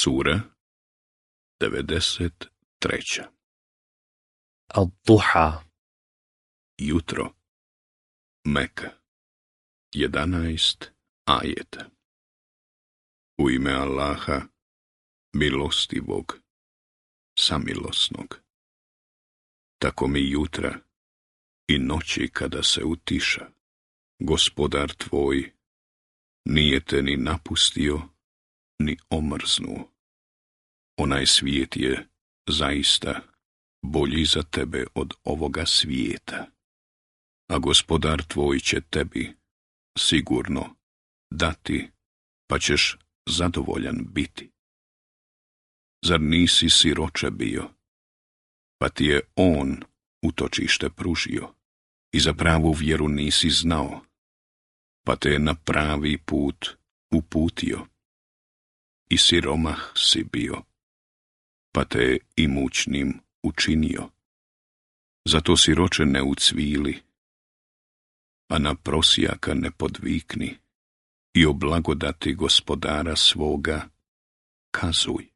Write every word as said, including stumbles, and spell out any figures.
Sura devedeset treća. الضحى Jutro. Meka. Jedanaest ajeta. U ime Allaha, milostivog, samilosnog. Tako mi jutra i noći kada se utiša, Gospodar tvoj nije te ni napustio, ni omrznuo. Onaj svijet je zaista bolji za tebe od ovoga svijeta, a Gospodar tvoj će tebi sigurno dati, pa ćeš zadovoljan biti. Zar nisi siroče bio, pa ti je on utočište pružio i za pravu vjeru nisi znao, pa te je na pravi put uputio. I siromah si bio, pa te je imućnim učinio. Zato siroče ne ucvili, a na prosjaka ne podvikni i o blagodati Gospodara svoga kazuj.